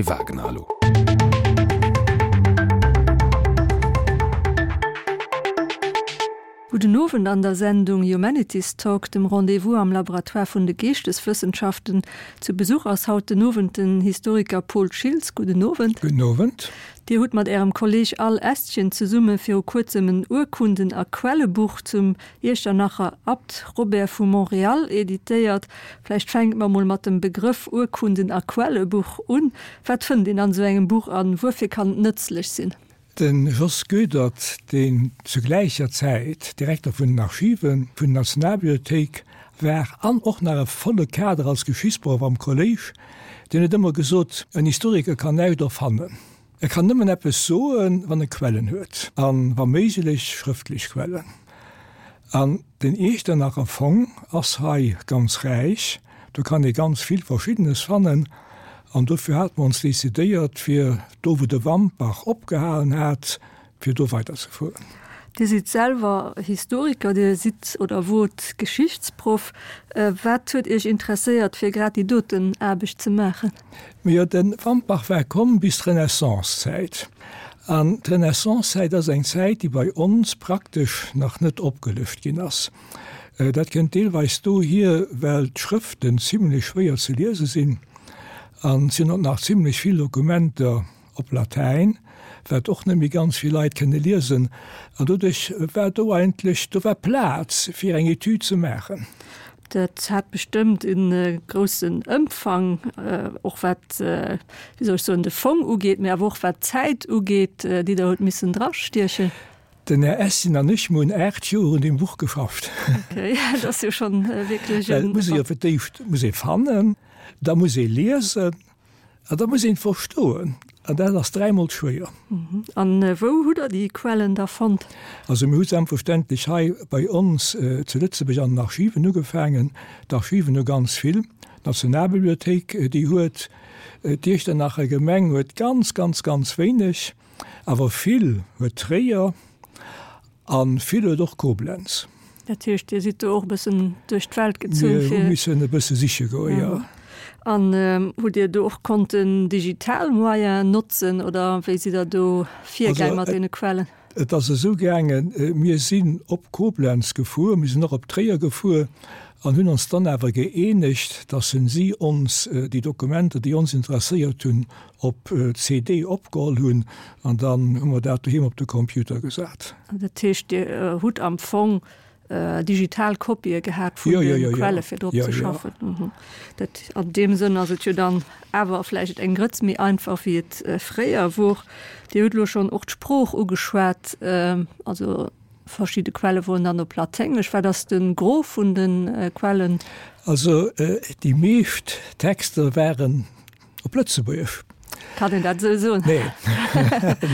Dany Wagner elo. Gudden Owend an der Sendung Humanities Talk, dem Rendez-vous am Laboratoire vun de Geeschteswëssenschaften. Zu Besuch ass haut den Owend den Historiker Paul Schiltz. Gudden Owend. Gudden Owend. Dir hutt mat Ärem Kolleg Al Estgen zesumme viru kuerzem en Urkunden a Quellebuch zum Iechternacher Abt Robert vu Montréal editéiert. Vläicht fänke mer mol mat dem Begrëff Urkunden a Quellebuch un. Wat fënnt een an esou engem Buch an wuerfir kann et nëtzlech sinn? De Jos Goedert, deen zu gläicher Zäit Direkter vun den Archive vun der Nationalbibliothéik war an och nach e volle Kader als Geschichtsproff am Kolléisch, deen huet ëmmer gesot, En Historiker kann näischt erfannen. E kann nëmmen eppes soen, wann e Quellen huet, a wa méiglech schrëftlech Quellen. An den Iechternacher Fong ass hei ganz räich, do kann ee ganz vill Verschiddenes fannen. An dofir hate mer ons decidéiert, fir do wou de Wampach opgehalen hat, fir do weiderzefueren. Dir sidd selwer Historiker, Dir sidd oder wot Geschichtsproff. Wat huet Iech interesséiert, fir grad déi doten Aarbecht ze maachen? Majo, de Wampach war komm bis d'Renaissancezäit. An d'Renaissancezäit ass eng Zäit, déi bei ons praktesch nach net opgelëscht ginn ass. Dat kënnt deelweis dohier, well d'Schrëften zimlech schwéier ze liese sinn an et sinn och nach zimlech vill Dokumenter op Latäin, wat och net méi ganz vill Leit kënne liesen. An doduerch war do eigentlech, do war Plaz fir eng Etüd ze maachen. Dat hat bestëmmt e groussen Ëmfang, och wat, wéi soll ech soen, de Fong ugeet, mä awer och wat d'Zäit ugeet, déi Der hutt missen drastiechen. Den Här Essin an ech, mir hunn 8 Joer un deem Buch geschafft. Okay, dat ass jo schonn wierklech en. Well et muss ee jo fir d'éischt muss ee fannen, da muss ee liesen an da muss een verstoen. An dat ass dräimol schwéier. An wou hutt Der déi Quellen da fonnt? Also mir hu selbstverständlech hei bei ons zu Lëtzebuerg an den Archiven ugefaangen. D'Archiven hu ganz vill. D'Nationalbibliothéik, déi huet, d'Iechternacher Gemeng huet ganz, ganz, ganz wéineg. Awer vill huet Tréier a vill huet och Koblenz. Dat heescht, Dir sidd do och e bëssen duerch d'Welt gezunn, fir. Mir hu missen e bësse siche goen, jo. An hutt Dir do och konnten digital Moyenen notzen oder wéi sidd Der do virgaang mat deene Quellen? Et ass esou gaangen, mir sinn op Koblenz gefuer, mir sinn och op Tréier gefuer an hunn ons dann awer gëeenegt, dass si ons déi Dokumenter, déi ons interesséiert hunn, op CD opgeholl hunn an dann hu mer dat doheem op de Computer gesat. Dat heescht, Dir hutt am Fong digital Kopië gehat vun de Quelle fir drop ze schaffen? Dat an deem Sënn ass et jo dann awer vläicht eng Grëtz méi einfach wéi et fréier wor. Dir hutt elo schonn och d'Sprooch ugeschwat, also verschidde Quelle woren dann op Laténgesch. Wat ass de Gros vun de Quellen? Also déi meescht Texter waren Op Lëtzebuergesch. Kann een dat esou soen? Nee.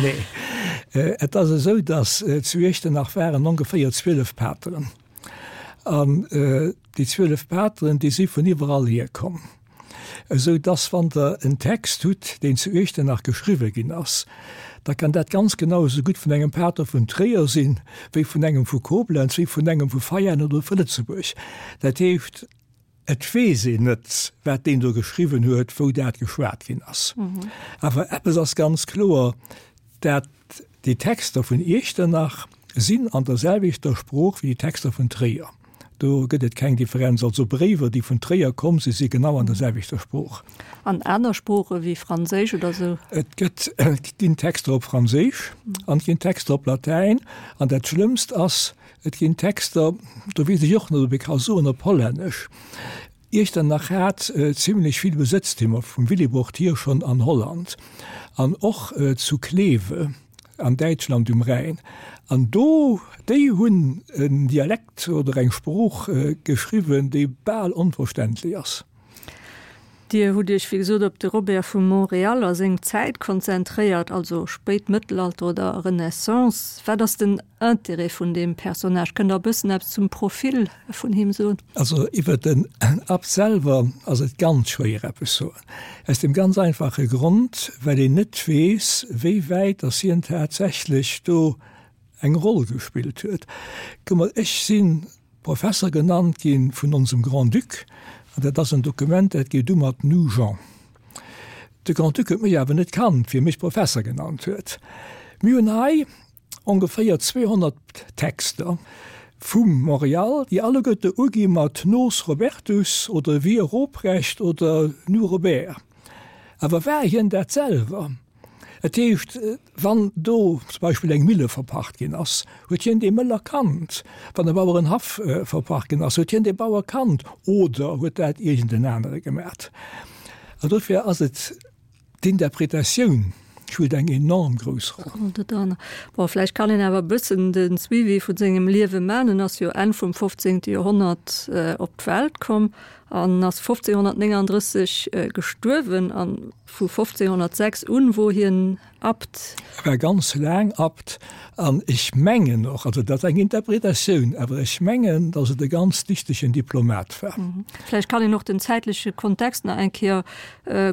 Nee. Et ass esou, datt zu Iechternach waren ongeféier 12 Pateren. An déi 12 Pateren, déi si vun iwwerall hier komm. Esou datt, wann Der en Text hutt, deen zu Iechternach geschriwwe ginn ass, da kann dat ganz genau esou gutt vun engem Pater vun Tréier sinn, wéi vun engem vu Koblenz, wéi vun engem vu Veianen oder vu Lëtzebuerg. Dat heescht, Et weess een net, wat deen do geschriwwen huet, wou dat geschwat ginn ass. Awer eppes ass ganz kloer, dat déi Texter vun Iechternach sinn an der selwechter Sprooch wéi déi Texter vun Tréier. Do gëtt et keng Differenz. Also Bréiwer, déi vun Tréier komm sinn, si genau an der selwechter Sprooch. An aner Sprooche wéi Franséisch oder sou? Et gëtt, et ginn Texter op Franséisch an et ginn Texter op Latäin. An dat Schlëmmst ass, Et ginn Texter, do weess ech och net, ob ee ka soen op Hollännesch. Iechternach hat zimlech vill Besëtztümer vum Willibrord hier schonn an Holland an och zu Kleve an Däitschland um Rhäin. An do, déi hunn en Dialekt oder eng Sprooch geschriwwen, déi bal onverständlech ass. Dir hutt Iech wéi gesot op de Robert vu Montréal a seng Zäit konzentréiert, also spéit Mëttelalter oder Renaissance. Wat ass den Interêt vun deem Personnage? Kënnt Der e bëssen eppes zum Profil vun him soen? Also iwwer den Abt selwer ass et ganz schwéier eppes soen. Aus dem ganz einfache Grond, well een net weess, wéi wäit datt hien tatsächlech do eng Roll gespillt huet. Kuck mol, ech si Professer genannt gi vun onsem Grand-Duc, an dat ass en Dokument, dat geet u mat Nogent. De Grand-Duc huet mech awer net kannt, wéi e mech Professer genannt huet. Mir hunn hei ongeféier 200 Texter vum Montréal, déi alleguerte ugi mat Nos Robertus oder Wir Roprecht oder Nous Robert. Awer war hien dat selwer? Et heescht, wann do zum Beispill eng Mille verpacht ginn ass, huet hien dee Mëller kannt. Wann e Bauerenhaff verpacht ginn ass, huet hien dee Bauer kannt oder huet dat iergend en anere gemat. An dofir ass et d'Interpretatioun spillt eng enorm grouss Roll. Bon, vläicht kann een awer e bëssen de Suivi vu sengem Liewe man. En ass jo Enn vum 15. Joerhonnert op d'Welt komm an ass 1539 gestuerwen. An vu 1506 un wor hien Abt. E war ganz laang Abt an ech mengen och, also dat ass eng Interpretatioun, awer ech mengen, datt et e ganz dichtegen Diplomat war. Vläicht kann een och den zäitleche Kontext nach eng Kéier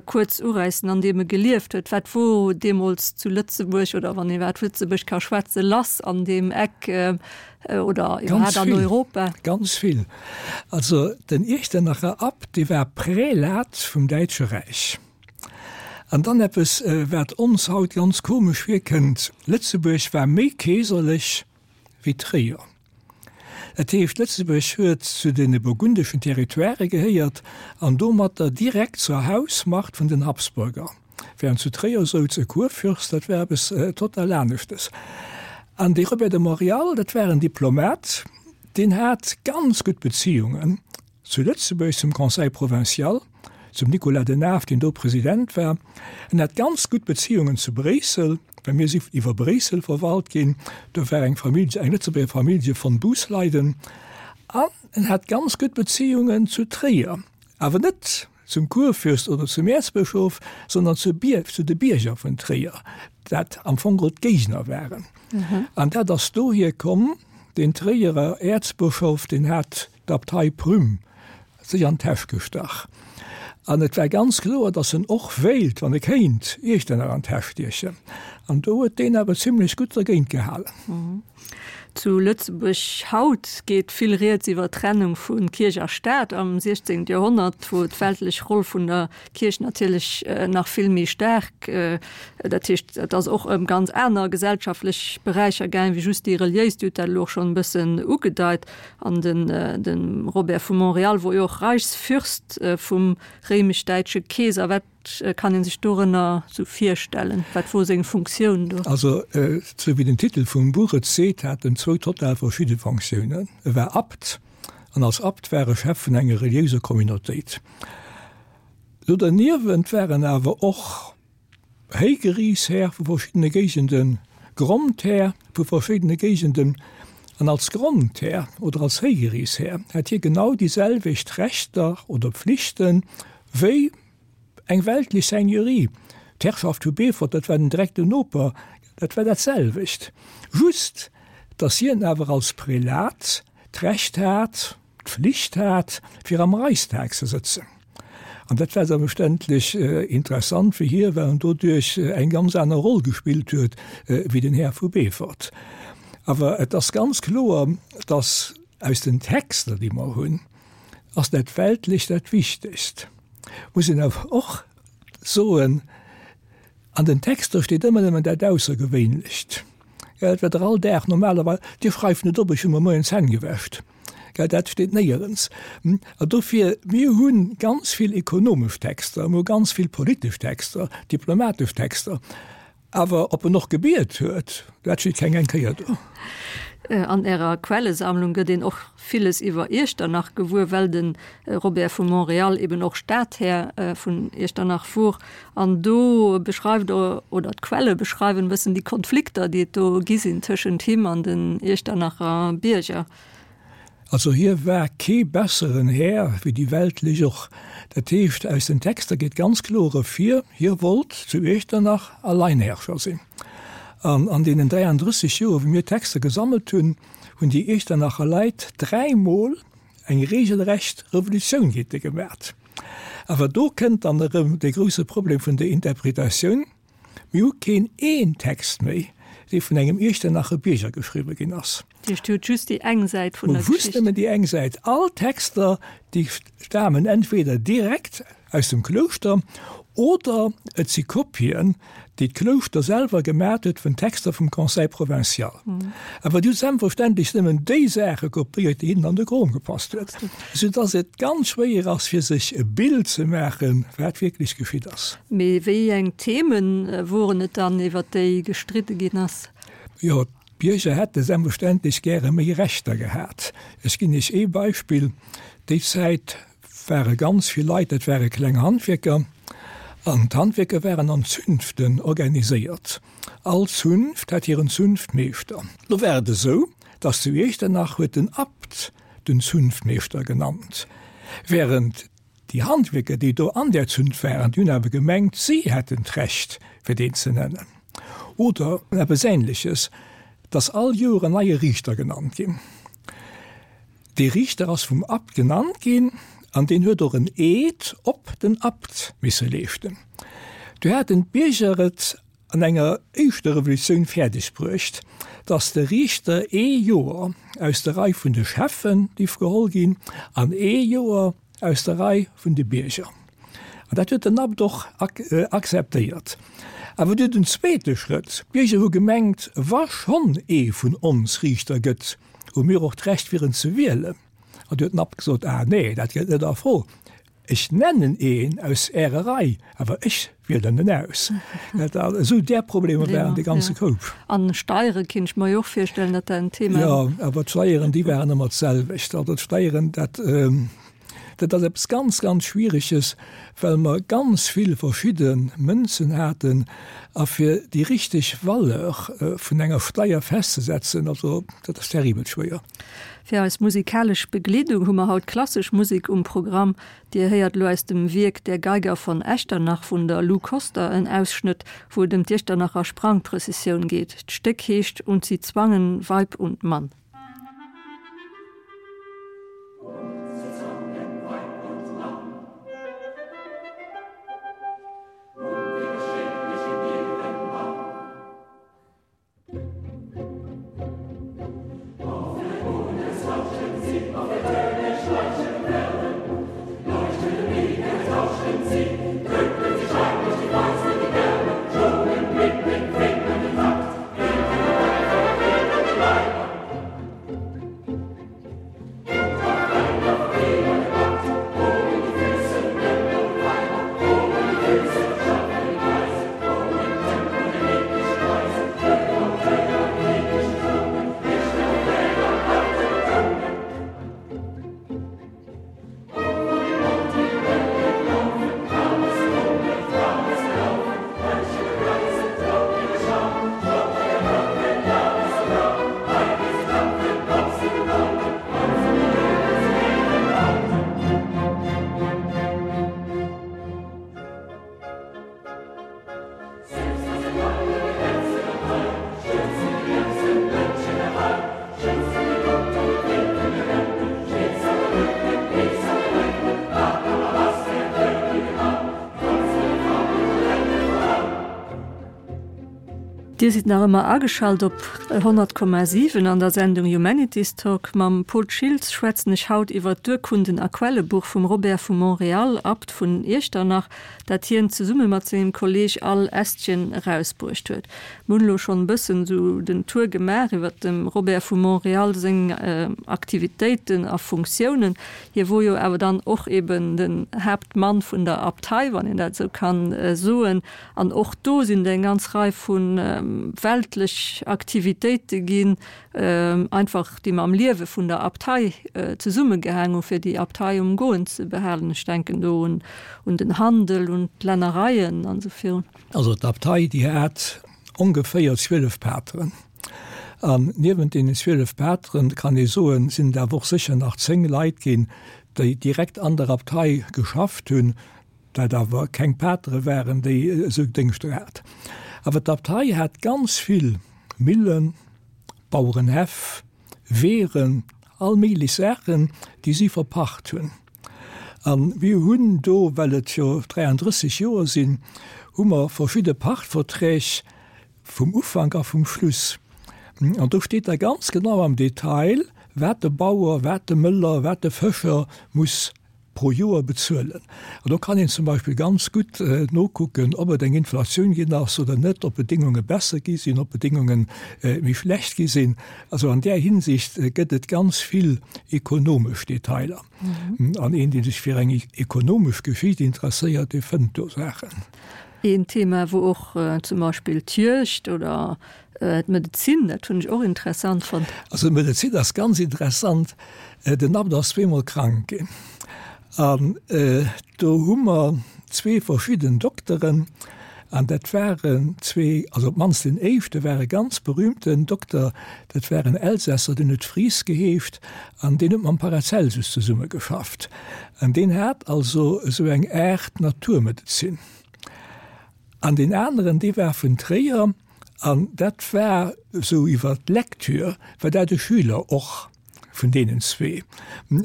kuerz uräissen, an deem e gelieft huet. Wat wor deemools zu Lëtzebuerg, oder wann ee iwwer Lëtzebuerg ka schwätzen, lass an deem Eck oder iwwerhaapt an Europa? Ganz vill. Also den Iechternacher Abt, dee war Prälat vum Däitsche Räich. An dann eppes, wat ons haut ganz komesch virkënnt, Lëtzebuerg war méi keeserlech wéi Tréier. Dat heescht, Lëtzebuerg huet zu de burgundeschen Territoirë gehéiert an domatter direkt zur Hausmacht vun den Habsburger, während zu Tréier souz e Kurfürst, dat war eppes total aneschtes. An dee Robert de Montréal, dat war en Diplomat, deen hat ganz gutt Beziungen Zu Lëtzebuerg zum Conseil provincial, zum Nicolas de Naef, deen do President war. En hat ganz gutt Beziungen zu Bréissel, well mir si iwwer Bréissel verwalt ginn. Do war eng Famillje, eng Lëtzebuerger Famillje von Busleyden. An en hat ganz gutt Beziungen zu Tréier, awer net zum Kurfürst oder zum Äerzbëschof, sondern zu Bier, zu de Bierger vun Tréier, dat am Fong geholl d'Géigner waren. An dat ass dohier komm, den Tréierer Äerzbëschof, deen hat d'Abtei Prüm sech an d'Täsch gestach. An et war ganz kloer, datt en och wéilt, wann e kéint, Iechternach an d'Täsch stiechen. An do huet deen awer zimlech gutt dergéint gehalen. Zu Lëtzebuerg haut geet vill Rieds iwwer d'Trennung vu Kierch a Staat am 16. Joerhonnert, wor d'weltlech Roll vun der Kierch natierlech nach vill méi staark, dat heescht, et ass och ëm ganz aner gesellschaftlech Beräicher gaang wéi just déi reliéis. Dir hutt dat elo och schonn e bëssen ugedeit. An den de Robert vu Montréal wor jo och Reichsfürst vum réimesch-däitsche Keeser. Wat kann een sech dorënner sou virstellen? Wat wor seng Funktioun do? Also, sou wéi den Titel vum Buch et seet, hat en zwou total verschidde Fonctiounen. E war Abt, an als Abt war e Chef vun enger reliéiser Communautéit. Do derniewent war en awer och Héigeriishär vu verschiddene Géigenden, Grondhär vu verschiddene Géigenden, an als Grondhär oder als Héigeriishär hat hie genau déi selwecht Rechter oder Pflichte wéi eng weltlech Seigneurie. D'Herrschaft vu Beefort, dat war den direkten Noper, dat war dat selwecht, just datt hien awer als Prälat d'Recht hat, d'Flicht hat, fir am Reichstag ze sëtzen. An dat war selbstverständlech interessant fir hie, well en doduerch eng ganz aner Roll gespillt huet wéi den Här vu Beefort. Awer et ass ganz kloer, datt aus den Texter, déi mer hunn, ass dat Weltlecht dat Wichtegst. Muss een awer och soen, an den Texter steet ëmmer nëmmen dat Aussergewéinlecht. Gell, wat Der all Dag normalerweis, Dir schreift net op, ech hu mer moien d'Zänn gewäscht. Gell, dat steet néierens. An dofir, mir hu ganz vill ekonomesch Texter, mir hu ganz vill politesch Texter, diplomatesch Texter, awer ob en och gebiet huet, dat steet keng eng Kéier do. An Ärer Quellesammlung gëtt een och villes iwwer Iechternach gewuer, well de Robert vu Montréal eben och Stadhär vun Iechternach wor. An do beschreift der, oder d'Quelle beschreiwen e bëssen déi Konflikter, déi et do gi sinn tëschent him an den Iechternacher Bierger. Also hie war kee besseren Här wéi déi Weltlech och. Dat heescht, aus den Texter geet ganz kloer ervir, hie wollt zu Iechternach Alleinherrscher sinn. An an deenen 33 Joer, wou mir Texter gesammelt hunn, hunn déi Iechternacher Leit dräimol eng regelrecht Revolutioun géint e gemat. Awer do kënnt dann erëm dee grouse Problem vun der Interpretatioun, Mir hu keen een Text méi, dee vun engem Iechternacher Bierger geschriwwe ginn ass. Dat heescht, Dir hutt just déi eng Säit vun der Geschicht. Mer just nëmmen déi eng Säit. All Texter, Déi stamen entweder direkt aus dem Klouschter oder et si Kopien, déi d'Klouschter selwer gemat huet vun Texter vum Conseil provincial. Awer déi hu selbstverständlech nëmmen déi Saache kopéiert, déi hinnen an de Krom gepasst huet, soudass et ganz schwéier ass, fir sech e Bild ze maachen, wat wierklech geschitt ass. Mee wéi eng Themen woren et dann, iwwer déi gestridde ginn ass? Jo, D'Bierger hätte selbstverständlech gäre méi Rechter gehat. Ech ginn Iech ee Beispill, Déi Zäit ware ganz vill Leit, dat ware kleng Handwierker, an d'Handwierker waren an Zünften organiséiert. All Zunft hat hiren Zunftmeeschter. Lo war et esou, datt zu Iechternach huet den Abt den Zunftmeeschter genannt, während Déi Handwierker, déi do an där Zunft waren, déi hunn awer gemengt, si hätten d'Recht, fir deen ze nennen. Oder eppes Ähnleches, dass all Joer en neie Riichter genannt ginn. Dee Riichter ass vum Abt genannt ginn an deen huet och en Eed op den Abt misse leeschten. Du haten d'Bierger et an enger éischter Revolutioun fäerdeg bruecht, datt de Riichter ee Joer aus der Rei vun de Cheffen dierf geholl ginn an ee Joer aus der Rei vun de Bierger. An dat huet den Abt och akzeptéiert. Awer du den zweete Schrëtt, D'Bierger hu gemengt, wa schonn ee vun ons Riichter gëtt, hu mir och d'Recht fir en ze wielen. An du huet den Abt gesot, Ah nee, dat kënnt net a Fro. Ech nennen een aus Ärer Rei, awer ech wielen en aus. Esou där Problemer waren de ganze Koup. An Steiere kinnt ech mer jo och virstellen, datt dat en Thema. Jo, awer d'Steieren, déi waren ëmmer d'selwecht. Also d'Steieren, dat, dat ass eppes ganz, ganz Schwiereges, well mer ganz vill verschidde Mënzen haten a fir déi richteg Valeur vun enger Steier festzesetzen, also dat ass terribel schwéier. Fir eis musikalesch Begleedung hu mer haut klassesch Musek um Programm. Dir héiert elo aus dem Wierk Der Geiger von Echternach vun der Lou Koster en Ausschnëtt, wou et ëm d'Iechternacher Sprangprëssessioun geet. D'Stéck heescht Und sie zwangen Weib und Mann. Dir sidd nach ëmmer ageschalt op 100,7 an der Sendung Humanities Talk. Mam Paul Schiltz schwätzen ech haut iwwer d'Urkunden a Quellebuch vum Robert vu Montréal, Abt vun Iechternach, dat hien zesumme mat sengem Kolleeg Al Estienne erausbruecht huet. Mir hunn elo schonn e bëssen esou den Tour gemaach iwwer dem Robert vu Montréal seng Aktivitéiten a Funktiounen. Hie wor jo awer dann och eben den Haaptmann vun der Abtei, wann een dat esou kann soen. An och do sinn et eng ganz Rei vu weltlech Aktivitéite ginn, einfach déi mam Liewe vun der Abtei zesummegehaang hu fir déi Abtei um Goen ze behalen. Ech denken do un un den Handel, un d'Lännereien an esou virun. Also d'Abtei, déi hat ongeféier 12 Pateren. An niewent deenen 12 Pateren, kann ee soen, sinn et awer och sécher nach 10 Leit ginn, déi direkt an der Abtei geschafft hunn, dat awer keng Patere waren, déi esou Déngschter hat. Awer d'Abtei hat ganz vill Millen, Bauerenhäff, Weeren, all méiglech Saachen, déi si verpacht hunn. A mir hunn do, well et jo 33 Joer sinn, hu mer verschidde Pachtverträg vum Ufank a vum Schluss. An do steet da ganz genau am Detail, wat de Bauer, wat de Mëller, wat de Fëscher muss pro Joer bezuelen. An do kann een zum Beispill ganz gutt nokucken, ob et eng Inflatioun ginn ass oder net, ob d'Bedéngunge besser gi sinn, ob d'Bedéngunge méi schlecht gi sinn. Also an där Hinsicht gëtt et ganz vill ekonomesch Detailer. An een, dee sech fir eng ekonomesch Geschicht interesséiert, dee fënnt do Saachen. Een Thema, wou och zum Beispill d'Juegd oder d'Medezin, dat hunn ech och interessant fonnt. Also d'Medezin ass ganz interessant. Den Abt ass zweemol krank ginn an do hu mer zwee verschidden Dokteren an dat waren zwee, also op d'mannst deen éischte war e ganz berühmten Dokter, dat war en Elsässer, deen huet Fries geheescht an deen huet mam Paracelsus zesummegeschafft an deen hat also esou eng Aart Naturmedezin. An deen aneren, dee war vun Tréier an dat war esou iwwer d'Lecture war dat e Schüler och vun deenen zwee,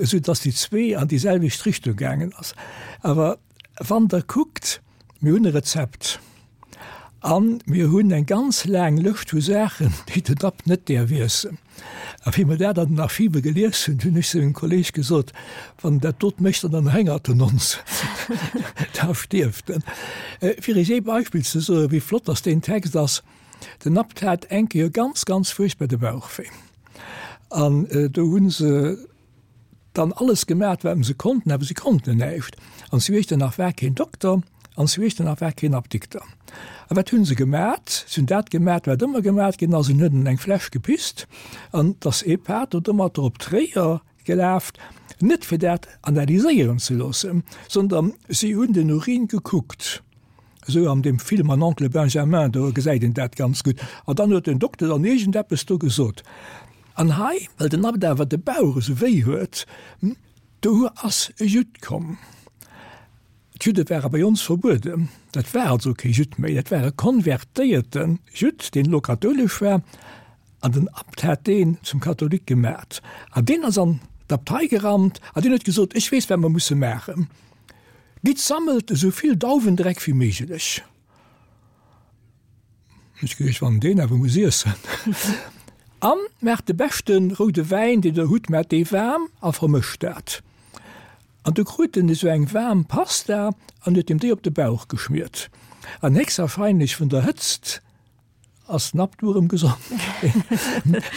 esou datt déi zwee an déi selwecht Richtung gaangen ass. Awer wann Der kuckt, mir hunn e Rezept a mir hunn eng ganz laang Lëscht vu Saachen, déi den Abt net däerf iessen. A wéi mer dat an den Archive gelies hunn, hunn ech zu mengem Kolleeg gesot, Wann en dat dot mécht, dann héngert en ons, da stierft en. Fir Iech ee Beispill ze soen, wéi flott dass deen Text ass, Den Abt hat eng Kéier ganz, ganz fuerchtbar de Bauch wéi. An do hu se dann alles gemat, wat se konnten, awer se konnten näischt. An zu Iechternach war keen Dokter an zu Iechternach war keen Apdikter. A wat hunn se gemat? Se hunn dat gemat, wat ëmmer gemat ginn ass, se hunn en eng Fläsch gepisst an et ass ee Pater domatter op Tréier gelaf, net fir dat analyséieren ze loossen, sondern si hunn den Urin gekuckt. Esou an deem Film Mon oncle Benjamin, do gesäit een dat ganz gutt. An dann huet den Dokter dann iergendeppes do gesot. An hei, well den Abt awer de Bauch esou wéi huet, do ass e Judd komm. D'Judde ware bei ons verbueden. Dat war also kee Judd méi, dat war e konvertéierte Judd, deen elo kathoulesch war. An den Abt hat deen zum Katholik gemat. An deen ass an d'Abtei gerannt an deen huet gesot, Ech weess, wat mer musse maachen. Gitt, sammelt esou vill Dauwendreck wéi méiglech. Ech geduecht, wann deen awer muss iessen. An maacht de beschte roude Wäin, deen der hutt, maacht dee waarm a vermëscht dat. An du krut en esou eng waarm Pasta an huet him déi op de Bauch geschmiert. An héchstwahrscheinlech vun der Hëtzt ass den Abt du erëm gesond ginn.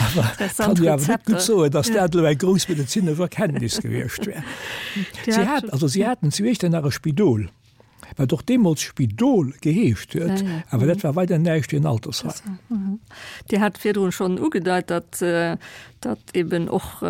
Awer kann ech awer net gutt soen, datt dat elo eng grouss medezinesch Erkenntnis gewiescht wär. Si hat, also si haten zu Iechternach e Spidol, wat och deemools Spidol geheescht huet, awer dat war weider näischt wéi en Altersheim. Dir hat virdrun schonn ugedeit, datt datt eben och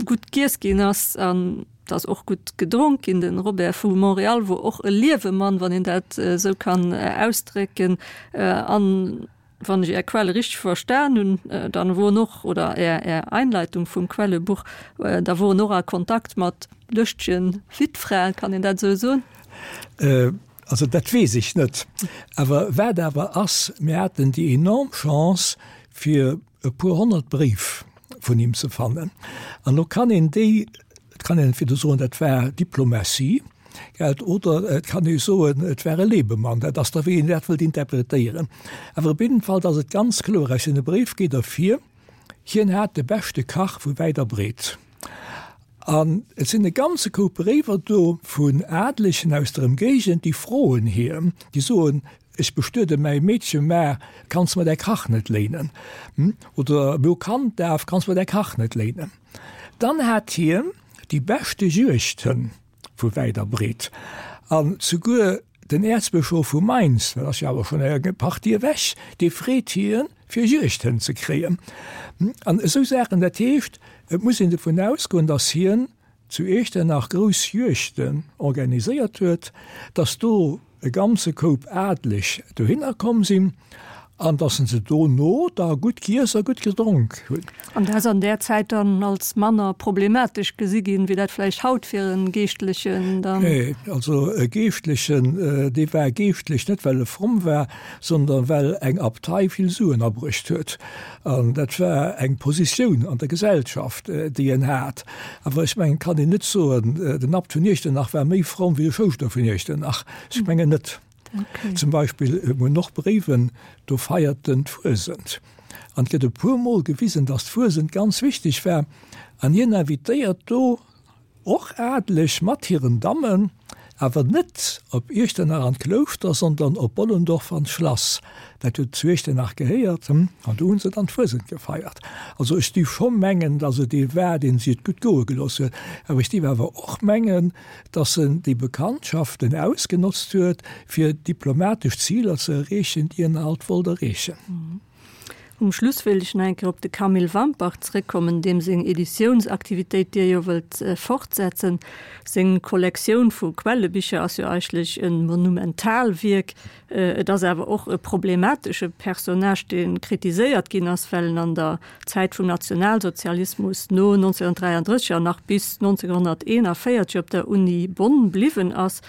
gutt giess ginn ass an datt och gutt gedronk ginn. Den Robert vu Montréal wor och e Liewemann, wann een dat esou kann ausdrécken. An wann ech Är Quelle richteg verstan hunn, dann wor en och, oder Är Är Einleitung vum Quellebuch, da wor en och a Kontakt mat lëschtegen Wittfraen, kann een dat esou soen? Also dat weess ech net. Awer wat awer ass, mir haten déi enorm Chance fir e puer 100 Bréif vun him ze fannen. An lo kann een déi, et kann een entweder soen, dat war Diplomatie, gell, oder et kann ee soen, et war e Lebemann. Dat ass da wéi een dat wëllt interpretéieren. Awer op jidden Fall ass et ganz kloer, aus deene Bréif geet ervir, hien hat de beschte Kach vu wäit a breet. An et sinn e ganze Koup Bréiwer do vun Adlegen aus der Emgéigend, déi froen hien, déi soen, Ech bestuede mäi Meedche, mä kanns mer däi Kach net léinen? Oder mir hu Kanddaf, kanns mer däi Kach net léinen? Dann hat hien déi beschte Juegdhënn vu wäit a breet. An souguer den Äerzbëschof vu Mainz, dat ass jo awer schonn eng Partie ewech, dee freet hien, fir Juegdhënn ze kréien. An esou Saachen. Dat heescht, et muss een dovun ausgoen, datt hien zu Iechternach grouss Juegden organiséiert huet, datt do e ganze Koup Adeleg dohinner komm sinn an datt se dono da gutt giess a gutt gedronk hunn. An dat ass an där Zäit dann als manner problematesch gesi ginn, wéi dat vläicht haut fir e Geeschtlechen dann. Nee, also e Geeschtlechen, dee war geeschtlech net well e fromm war, sondern well eng Abtei vill Suen abruecht huet. An dat war eng Positioun an der Gesellschaft, déi en hat. Awer ech mengen, et kann een net soen, den Abt vun Iechternach war méi fromm wéi de Schouschter vun Iechternach. Ech mengen net. Okay. Zum Beispill mir hunn och Bréiwen, do feiert en d'Fuesent. An et gëtt e puermol gewisen, datt d'Fuesent ganz wichteg war. An hien invitéiert do Och Adeleg mat hiren Dammen, awer net op Iechternach an d'Klouschter, sondern op Bollendorf an d'Schlass. Dat huet zu Iechternach gehéiert, an do hunn se dann d'Fuesent gefeiert. Also ech dierf scho mengen, datt et ee war, deen si et gutt goe gelooss huet, awer ech dierf awer och mengen, datt en déi Bekanntschaften ausgenotzt huet, fir diplomatesch Ziler ze erreechen, déi en halt wollt erreechen. Um Schluss wéilt ech nach eng Kéier op de Camille Wampach zréckkommen, deem seng Editiounsaktivitéit Dir jo wëllt fortsetzen. Seng Kollektioun vu Quellebicher ass jo eigentlech e Monumentalwierk. Et ass awer och e problematesche Personnage, dee kritiséiert ginn ass, well en an der Zäit vum Nationalsozialismus no 1933 an nach bis 1941 op der Uni Bonn bliwwen ass.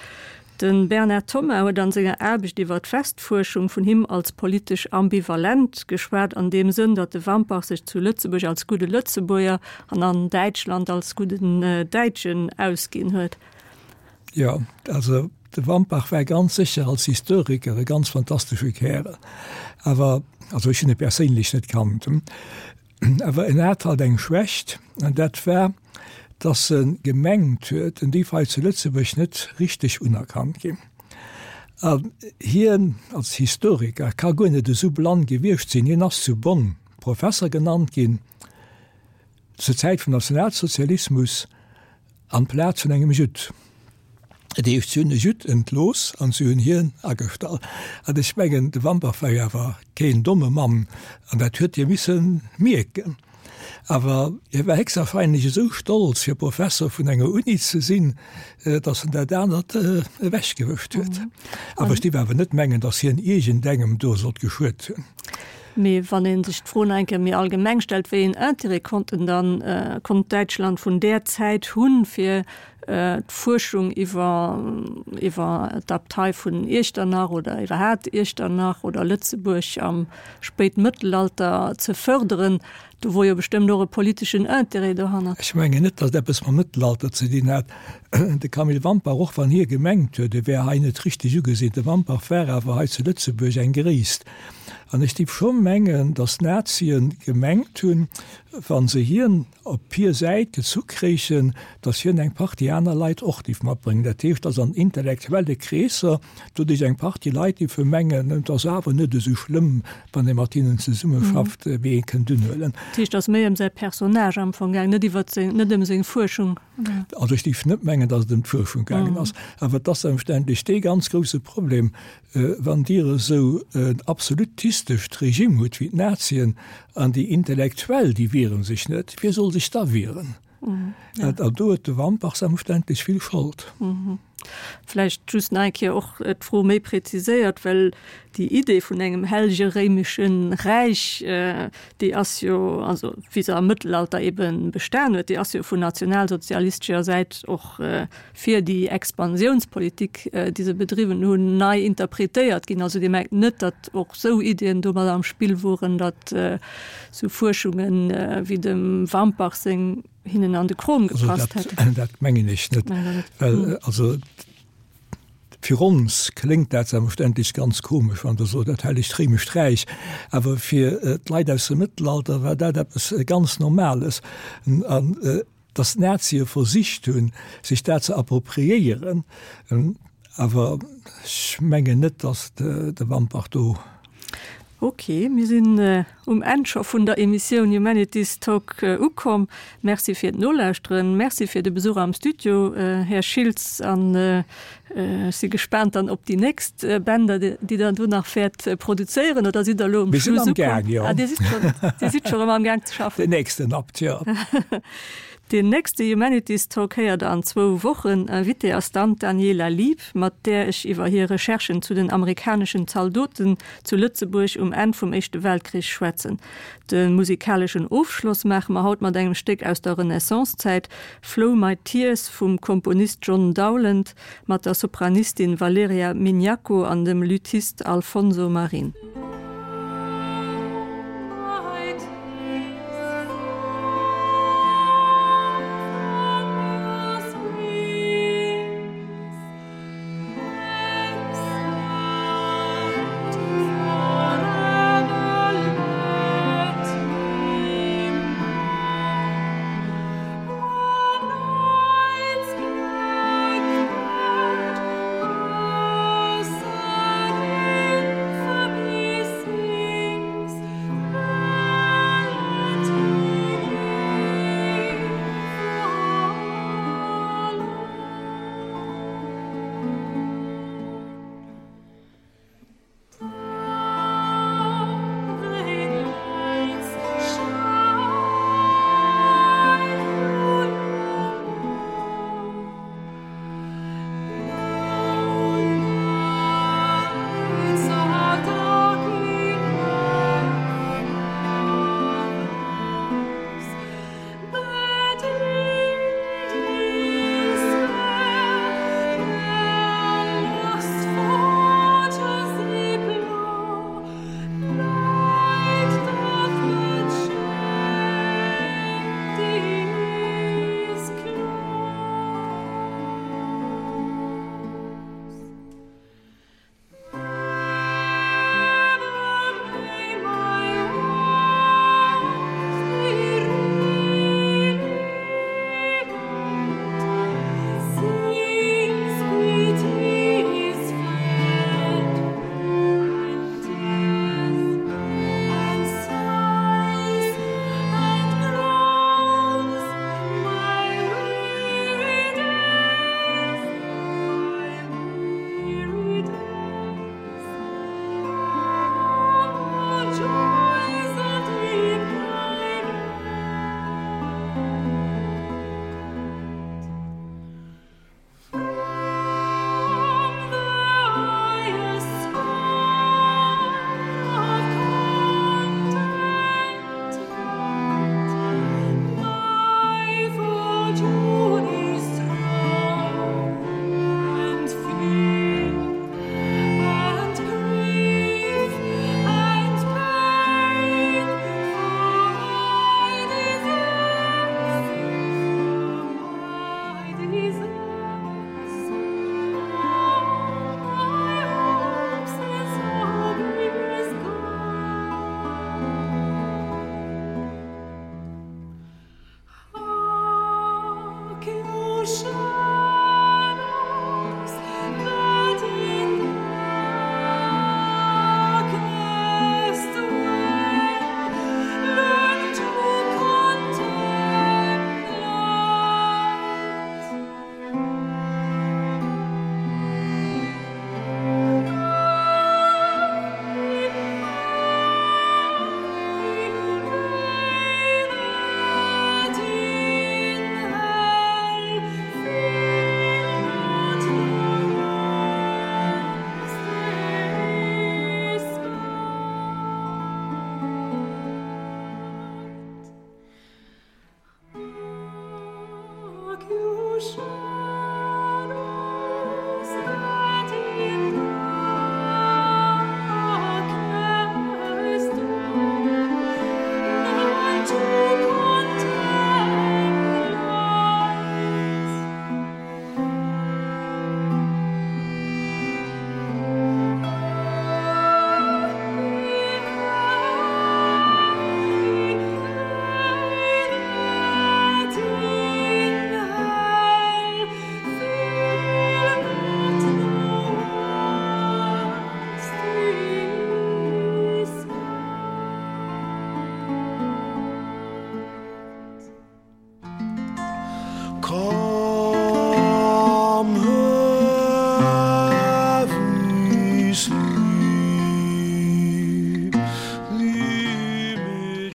De Bernard Thomas huet an senger Aarbecht iwwer d'Westfuerschung vun him als politesch ambivalent geschwat, an deem Sënn, datt de Wampach sech zu Lëtzebuerg als gudde Lëtzebuerger an an Däitschland als gudden Däitschen ausginn huet. Jo, also de Wampach war ganz sécher als Historiker e ganz fantastesche Kärel, awer, also ech hunn e perséinlech net kannt, Awer en hat halt eng Schwächt, an dat war, dass e gemengt huet, en géif hei zu Lëtzebuerg net richteg unerkannt ginn. An hien als Historiker ka guer net esou blann gewiescht sinn. Hien ass zu Bonn Professer genannt ginn, zur Zäit vum Nationalsozialismus, Amplaz vun engem Judd. Dat heescht, si hunn e Judd entlooss an si hunn hien agestallt. An ech mengen, de Wambach war jo awer keen domme Mann an dat huet hie misse mierken. Awer hie war héchstwahrscheinlech esou stolz, fir Professor vun enger Uni ze sinn, datt en dat anert ewechgewëscht huet. Awer ech dierf awer net mengen, datt hien iergendengem do sollt geschuet hunn. Mee wann ee sech d'Fro nach eng Kéier méi allgemeng stellt, wéi een Intérêt konnten dann, konnt Däitschland vun där Zäit hunn, fir d'Fuerschung iwwer, iwwer d'Abtei vun Iechternach oder iwwerhaapt Iechternach oder Lëtzebuerg am Spéitmëttelalter ze fërderen, Do wor jo bestëmmt och e politeschen Intérêt dohannert. Ech mengen net, datt et eppes mam Mëttelalter ze dinn hat. De Camille Wampach, och wann hie gemengt huet, e wär hei net richteg ugesinn, de Wampach war awer hei zu Lëtzebuerg eng Gréisst. An ech géif scho mengen, datt d'Nazien gemengt hunn, wa se hien op hir Säit gezu kréichen, datt hien eng Partie aner Leit och géif matbréngen. Dat heescht, datt an intellektuelle Kreesser doduerch eng Partie Leit géife mengen, et ass awer net esou schlëmm, wann ee mat hinnen zesummeschafft, wéi ee kënnt unhuelen. Dat heescht, et ass méi ëm säi Personnage am Fong gaangen, net iwwert seng, net ëm seng Fuerschung, oder? Also ech géif net mengen, datt et ëm d'Fuerschung gaangen ass. Awer et ass selbstverständlech dee ganz grouse Problem, wann Dir esou en absolutistescht Regime hutt wéi d'Nazien an déi Intellektuell, déi wiere sech net, wie soll sech da wieren? An do huet de Wampach selbstverständlech vill Schold. Vläicht just nach eng Kéier och d'Fro méi präziséiert, well déi Idee vun engem hellege réimesche Räich, déi ass jo, also wéi se am Mëttelalter ebe bestan huet, déi ass jo vun nationalsozialistescher Säit och fir déi Expansiounspolitik, déi se bedriwwen hunn, nei interpretéiert ginn. Also Dir mengt net, datt och esou Iddien domat am Spill woren, datt esou Fuerschunge wéi dem Wampach seng hinnen an de Krom gepasst hätten? Also dat mengen ech net, well also fir ons kléngt dat selbstverständlech ganz komesch, wann Der sot, dat Hellegt Réimescht Räich, awer fir d'Leit aus dem Mëttelalter war dat eppes ganz Normales. An datt d'Nazie versicht hunn, sech dat ze appropriéieren, awer ech mengen net, datt de Wampach do. Ok, mir sinn um Enn scho vun der Emissioun Humanities Talk ukomm. Merci fir d'Nolauschteren, Merci fir de Besuch am Studio, Här Schiltz, an ech si gespaant dann op déi nächst Bänder, déi Der do nach wäert produzéieren. Oder sidd Der elo um Schluss ukomm? Mir sinn am Gaang, jo. Ah, Dir sidd schonn, Dir sidd scho rëm am Gaang ze schaffen. Den nächsten Abt, jo. Deen nächste Humanities Talk héiert der an zwou Wochen. Invitée ass dann d'Daniela Lieb, mat där ech iwwer hir Recherchen zu den amerikaneschen Zaldoten zu Lëtzebuerg um Enn vum Éischte Weltkrich schwätzen. De musikaleschen Ofschloss maache mer haut mat engem Stéck aus der Renaissance-Zäit, Flow My Tears vum Komponist John Dowland mat der Sopranistin Valeria Mignacco an dem Lüthist Alfonso Marin.